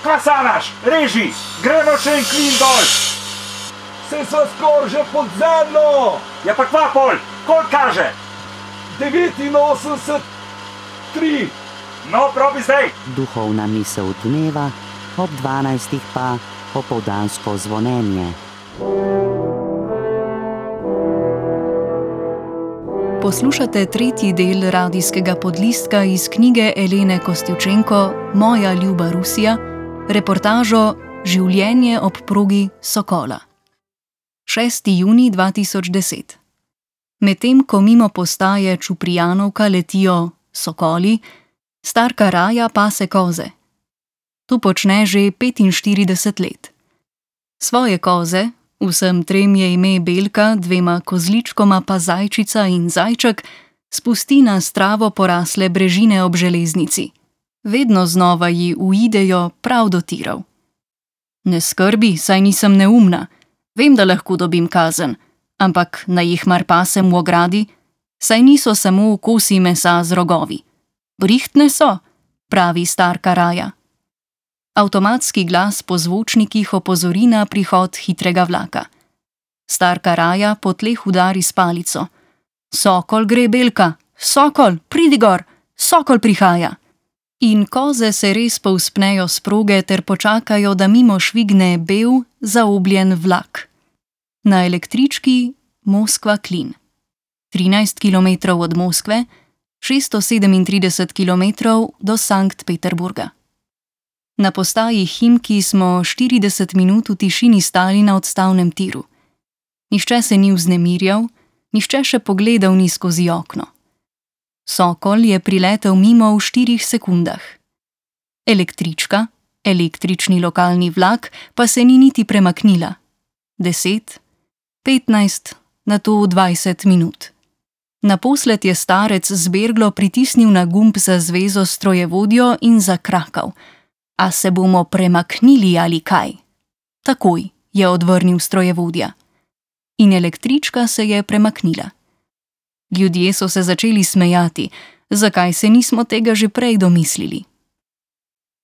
Kaj sanaš? Reži, gremo še en klin dol. Se sva skoraj že pod zemljo. Ja pa kva pol, koliko kaže? 89,3. No, probi zdaj. Duhovna misel dneva, ob 12 pa opoldansko zvonjenje. Poslušate tretji del radijskega podlistka iz knjige Elene Kostjučenko Moja ljuba Rusija, reportažo Življenje ob progi Sokola. 6. junij 2010. Medtem ko mimo postaje Čuprijanovka letijo sokoli, starka Raja pase koze. To počne že 45 let. Svoje koze, vsem trem je ime Belka, dvema kozličkoma pa Zajčica in Zajček, spusti na stravo porasle brežine ob železnici. Vedno znova ji uidejo prav do tirov. Ne skrbi, saj nisem neumna. Vem, da lahko dobim kazen, ampak naj jih mar pasem v ogradi, saj niso samo kosi mesa z rogovi. Brihtne so, pravi starka Raja. Avtomatski glas po zvočnikih opozori na prihod hitrega vlaka. Starka Raja po tleh udari s palico. Sokol gre, Belka, Sokol, pridi gor, Sokol prihaja. In koze se res povzpnejo s proge ter počakajo, da mimo švigne bel, zaobljen vlak. Na električki Moskva-Klin. 13 km od Moskve, 637 km do Sankt Peterburga. Na postaji Himki smo 40 minut v tišini stali na odstavnem tiru. Nihče se ni vznemirjal, nihče še pogledal ni skozi okno. Sokol je priletel mimo v 4 sekundah. Električka, električni lokalni vlak, pa se ni niti premaknila. 10, 15, nato 20 minut. Naposled je starec zberglo pritisnil na gumb za zvezo strojevodjo in zakrakal. A se bomo premaknili ali kaj? Takoj, je odvrnil strojevodja. In električka se je premaknila. Ljudje so se začeli smejati, zakaj se nismo tega že prej domislili.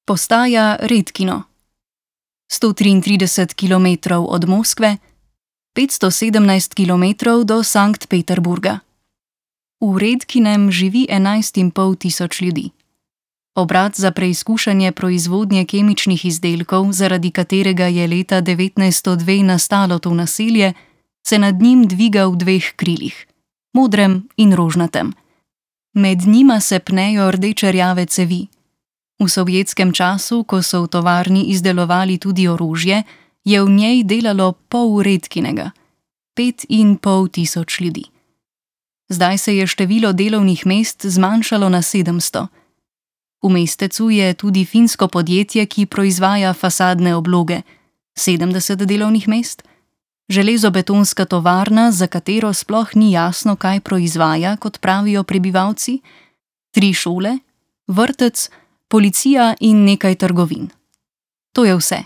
Postaja Redkino. 133 km od Moskve, 517 km do Sankt Peterburga. V Redkinem živi 11,5 tisoč ljudi. Obrat za preizkušanje proizvodnje kemičnih izdelkov, zaradi katerega je leta 1902 nastalo to naselje, se nad njim dviga v 2 krilih, modrem in rožnatem. Med njima se pnejo rdeče-rjave cevi. V sovjetskem času, ko so v tovarni izdelovali tudi orožje, je v njej delalo pol Redkinega, 5,5 tisoč ljudi. Zdaj se je število delovnih mest zmanjšalo na 700. V mestecu je tudi finsko podjetje, ki proizvaja fasadne obloge, 70 delovnih mest, železobetonska tovarna, za katero sploh ni jasno, kaj proizvaja, kot pravijo prebivalci, 3 šole, vrtec, policija in nekaj trgovin. To je vse.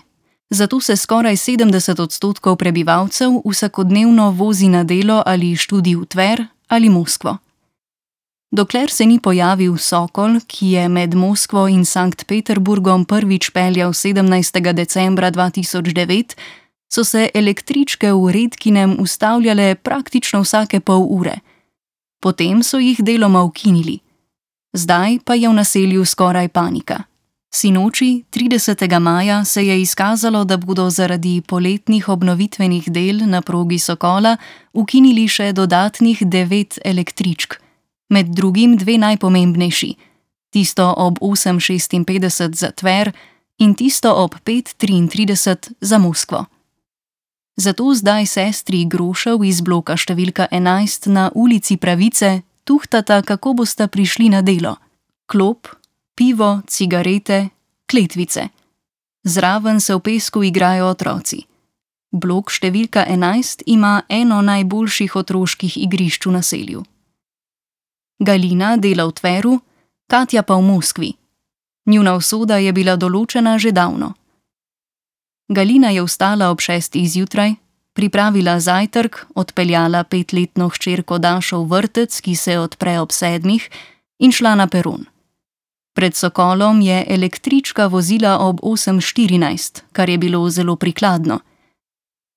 Zato se skoraj 70% prebivalcev vsakodnevno vozi na delo ali študij v Tver ali Moskvo. Dokler se ni pojavil Sokol, ki je med Moskvo in Sankt Peterburgom prvič peljal 17. decembra 2009, so se električke v Redkinem ustavljale praktično vsake pol ure. Potem so jih deloma ukinili. Zdaj pa je v naselju skoraj panika. Sinoči, 30. maja, se je izkazalo, da bodo zaradi poletnih obnovitvenih del na progi Sokola ukinili še dodatnih 9 električk. Med drugim 2 najpomembnejši, tisto ob 8:56 za Tver in tisto ob 5:33 za Moskvo. Zato zdaj sestri Grošev iz bloka številka 11 na ulici Pravice tuhtata, kako bosta prišli na delo. Klop, pivo, cigarete, kletvice. Zraven se v pesku igrajo otroci. Blok številka 11 ima eno najboljših otroških igrišč v naselju. Galina dela v Tveru, Katja pa v Moskvi. Njuna usoda je bila določena že davno. Galina je vstala ob 6. zjutraj, pripravila zajtrk, odpeljala 5-letno hčerko Dašo v vrtec, ki se odpre ob 7, in šla na peron. Pred Sokolom je električka vozila ob 8:14, kar je bilo zelo prikladno.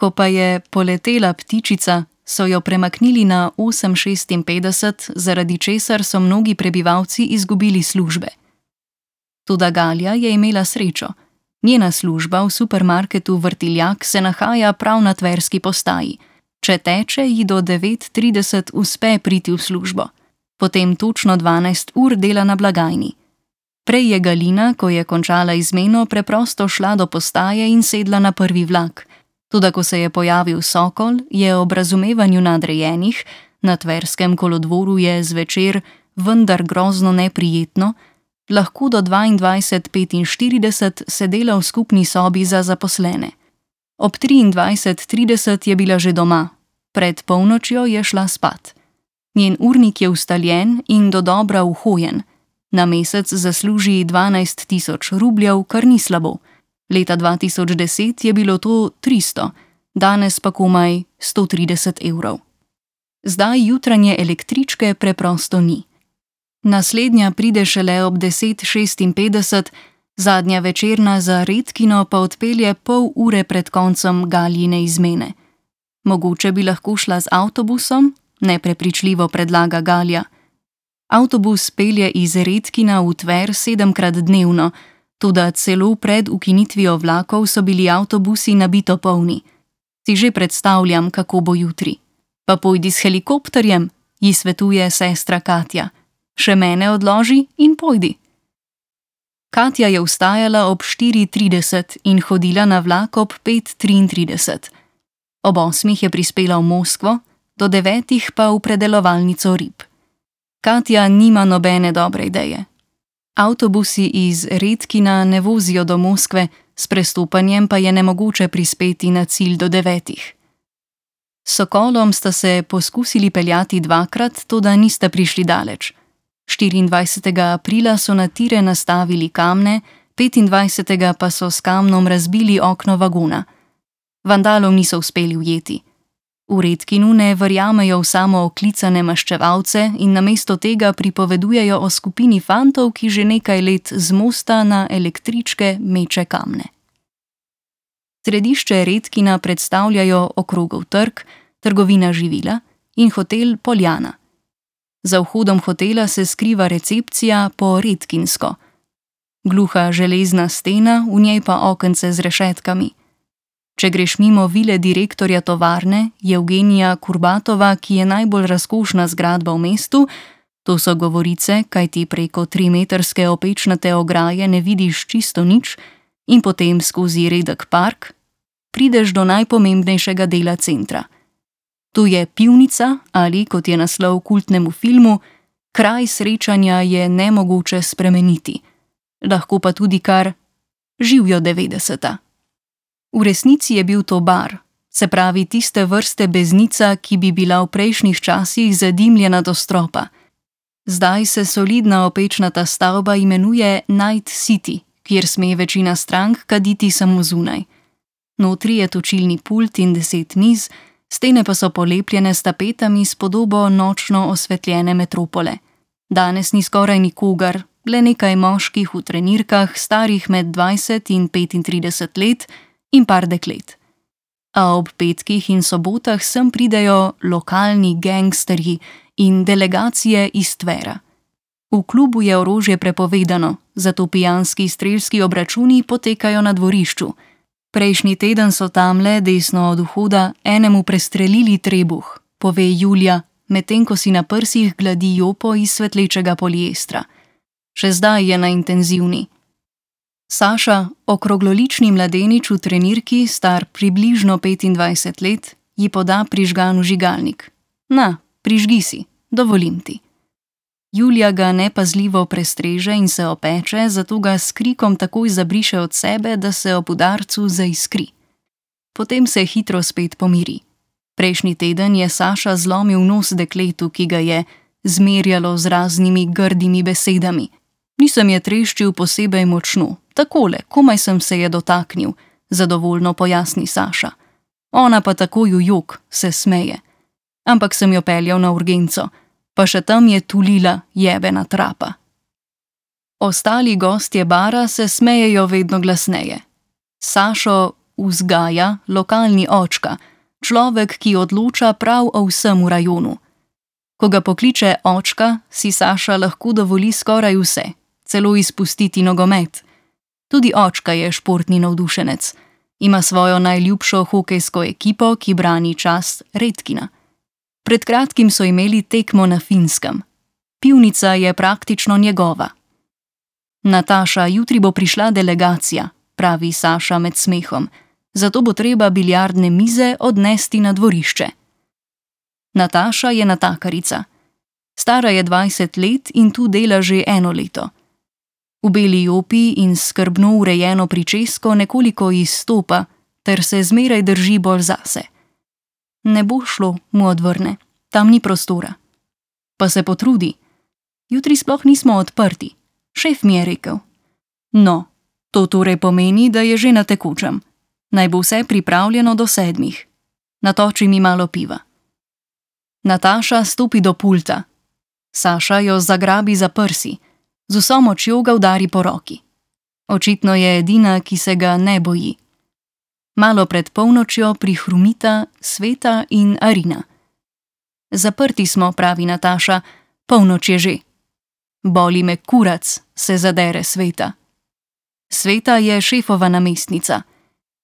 Ko pa je poletela ptičica, so jo premaknili na 8:56, zaradi česar so mnogi prebivalci izgubili službe. Toda Galja je imela srečo. Njena služba v supermarketu Vrtiljak se nahaja prav na tverski postaji. Če teče, ji do 9:30 uspe priti v službo. Potem točno 12 ur dela na blagajni. Prej je Galina, ko je končala izmeno, preprosto šla do postaje in sedla na prvi vlak. Toda ko se je pojavil Sokol, je ob razumevanju nadrejenih, na tverskem kolodvoru je zvečer, vendar grozno neprijetno, lahko do 22:45 sedela v skupni sobi za zaposlene. Ob 23:30 je bila že doma, pred polnočjo je šla spat. Njen urnik je ustaljen in dodobra uhojen. Na mesec zasluži 12.000 rubljev, kar ni slabo. Leta 2010 je bilo to 300, danes pa komaj 130 evrov. Zdaj jutranje električke preprosto ni. Naslednja pride šele ob 10:56, zadnja večerna za Redkino pa odpelje pol ure pred koncem Galjine izmene. Mogoče bi lahko šla z avtobusom, neprepričljivo predlaga Galja. Avtobus pelje iz Redkina v Tver 7krat dnevno, toda celo pred ukinitvijo vlakov so bili avtobusi nabito polni. Si že predstavljam, kako bo jutri. Pa pojdi s helikopterjem, ji svetuje sestra Katja. Še mene odloži in pojdi. Katja je vstajala ob 4:30 in hodila na vlak ob 5:33. Ob 8 je prispela v Moskvo, do 9 pa v predelovalnico rib. Katja nima nobene dobre ideje. Avtobusi iz Redkina ne vozijo do Moskve, s prestopanjem pa je nemogoče prispeti na cilj do 9. S Sokolom sta se poskusili peljati 2krat, toda nista prišli daleč. 24. aprila so na tire nastavili kamne, 25. pa so s kamnom razbili okno vagona. Vandalov niso uspeli ujeti. V Redkinu ne verjamejo v samo oklicane maščevalce in namesto tega pripovedujejo o skupini fantov, ki že nekaj let z mosta na električke meče kamne. Središče Redkina predstavljajo Okrogov trg, trgovina živila in hotel Poljana. Za vhodom hotela se skriva recepcija po redkinsko. Gluha železna stena, v njej pa okence z rešetkami. Če greš mimo vile direktorja tovarne, Evgenija Kurbatova, ki je najbolj razkošna zgradba v mestu, to so govorice, kajti preko 3-metrske opečnate ograje ne vidiš čisto nič, in potem skozi redek park, prideš do najpomembnejšega dela centra. Tu je pivnica ali, kot je naslov kultnemu filmu, kraj srečanja je nemogoče spremeniti. Lahko pa tudi kar živjo 90. V resnici je bil to bar, se pravi tiste vrste beznica, ki bi bila v prejšnjih časih zadimljena do stropa. Zdaj se solidna opečnata stavba imenuje Night City, kjer sme večina strank kaditi samo zunaj. Notri je točilni pult in 10 miz, stene pa so polepljene s tapetami s podobo nočno osvetljene metropole. Danes ni skoraj nikogar, le nekaj moških v trenirkah, starih med 20 in 35 let, in par deklet. A ob petkih in sobotah sem pridejo lokalni gangsterji in delegacije iz Tvera. V klubu je orožje prepovedano, zato pijanski strelski obračuni potekajo na dvorišču. Prejšnji teden so tamle, desno od vhoda, enemu prestrelili trebuh, pove Julija, medtem ko si na prsih gladi jopo iz svetlečega poliestra. Še zdaj je na intenzivni. Saša, okroglolični mladenič v trenirki, star približno 25 let, ji poda prižgan vžigalnik. Na, prižgi si, dovolim ti. Julija ga nepazljivo prestreže in se opeče, zato ga s krikom takoj zabriše od sebe, da se ob udarcu zaiskri. Potem se hitro spet pomiri. Prejšnji teden je Saša zlomil nos dekletu, ki ga je zmerjalo z raznimi grdimi besedami. Nisem je treščil posebej močno, takole, komaj sem se je dotaknil, zadovoljno pojasni Saša. Ona pa takoj v jok, se smeje. Ampak sem jo peljal na urgenco, pa še tam je tulila jebena trapa. Ostali gostje bara se smejejo vedno glasneje. Sašo vzgaja lokalni očka, človek, ki odloča prav o vsem v rajonu. Ko ga pokliče očka, si Saša lahko dovoli skoraj vse, celo izpustiti nogomet. Tudi očka je športni navdušenec. Ima svojo najljubšo hokejsko ekipo, ki brani čast Redkina. Pred kratkim so imeli tekmo na Finskem. Pivnica je praktično njegova. Nataša, jutri bo prišla delegacija, pravi Saša med smehom, zato bo treba biljardne mize odnesti na dvorišče. Nataša je natakarica. Stara je 20 let in tu dela že 1 leto. V beli jopi in skrbno urejeno pričesko nekoliko izstopa, ter se zmeraj drži bolj zase. Ne bo šlo, mu odvrne, tam ni prostora. Pa se potrudi. Jutri sploh nismo odprti, šef mi je rekel. No, to torej pomeni, da je že na tekočem. Naj bo vse pripravljeno do 7. Natoči mi malo piva. Nataša stopi do pulta. Saša jo zagrabi za prsi. Z vso močjo ga udari po roki. Očitno je edina, ki se ga ne boji. Malo pred polnočjo prihrumita Sveta in Arina. Zaprti smo, pravi Nataša, polnoč je že. Boli me kurac, se zadere Sveta. Sveta je šefova namestnica.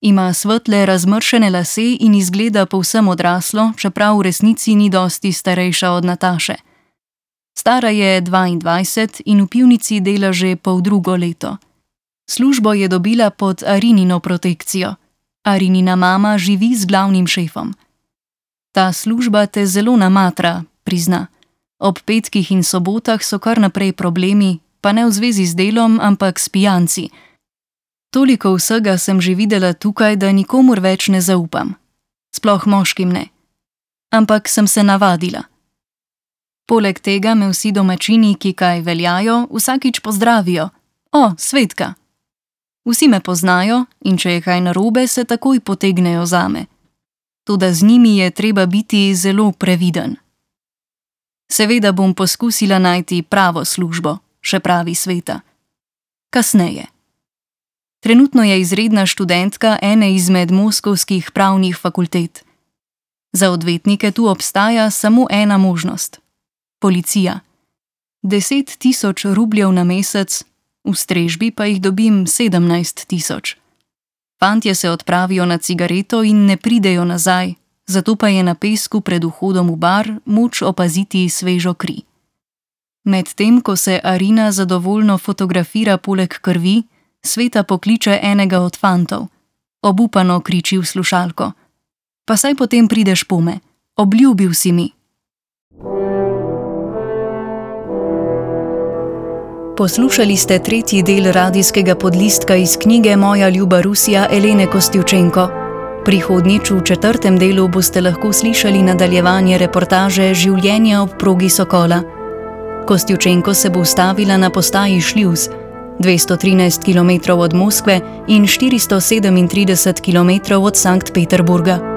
Ima svetle razmršene lase in izgleda povsem odraslo, čeprav v resnici ni dosti starejša od Nataše. Stara je 22 in v pivnici dela že 2,5 leta. Službo je dobila pod Arinino protekcijo. Arinina mama živi z glavnim šefom. Ta služba te zelo namatra, prizna. Ob petkih in sobotah so kar naprej problemi, pa ne v zvezi z delom, ampak s pijanci. Toliko vsega sem že videla tukaj, da nikomur več ne zaupam. Sploh moškim ne. Ampak sem se navadila. Poleg tega me vsi domačini, ki kaj veljajo, vsakič pozdravijo. O, Svetka! Vsi me poznajo in če je kaj narobe, se takoj potegnejo zame. Toda z njimi je treba biti zelo previden. Seveda bom poskusila najti pravo službo, še pravi Sveta. Kasneje. Trenutno je izredna študentka ene izmed moskovskih pravnih fakultet. Za odvetnike tu obstaja samo ena možnost. Policija. 10 000 rubljev na mesec, v strežbi pa jih dobim 17 000. Fantje se odpravijo na cigareto in ne pridejo nazaj, zato pa je na pesku pred vhodom v bar moč opaziti svežo kri. Medtem ko se Arina zadovoljno fotografira poleg krvi, Sveta pokliče enega od fantov. Obupano kriči v slušalko. Pa saj potem prideš pome, obljubil si mi. Poslušali ste 3. del radijskega podlistka iz knjige Moja ljuba Rusija Elene Kostjučenko. Prihodnjič v 4. delu boste lahko slišali nadaljevanje reportaže Življenje ob progi Sokola. Kostjučenko se bo ustavila na postaji Šljuz, 213 km od Moskve in 437 km od Sankt Peterburga.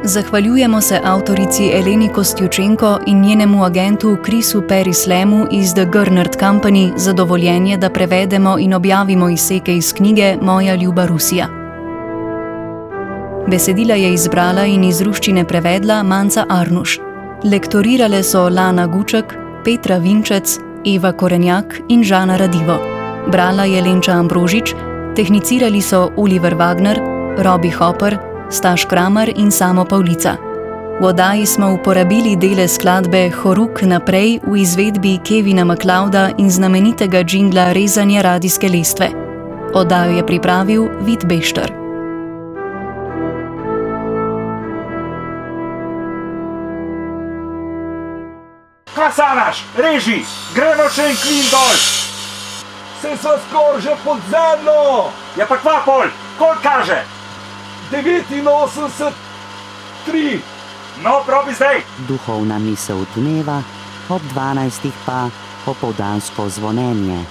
Zahvaljujemo se avtorici Eleni Kostjučenko in njenemu agentu Chrisu Perislemu iz The Gernert Company za dovoljenje, da prevedemo in objavimo izseke iz knjige Moja ljuba Rusija. Besedila je izbrala in iz ruščine prevedla Manca Arnuš. Lektorirale so Lana Guček, Petra Vinčec, Eva Korenjak in Žana Radivo. Brala je Lenča Ambrožič, tehnicirali so Oliver Wagner, Robi Hopper, Staš Kramer in Samo Pavlica. V oddaji smo uporabili dele skladbe Horuk naprej v izvedbi Kevina MacLeoda in znamenitega džingla Rezanja radijske lestve. Oddajo je pripravil Vid Bešter. Kasanaš, reži, gremo še en klin dol. Se sva skoraj že pod zemljo! Ja pa kva pol, koliko kaže? 89, 3. No, probi zdaj. Duhovna misel dneva, ob 12. pa opoldansko zvonjenje.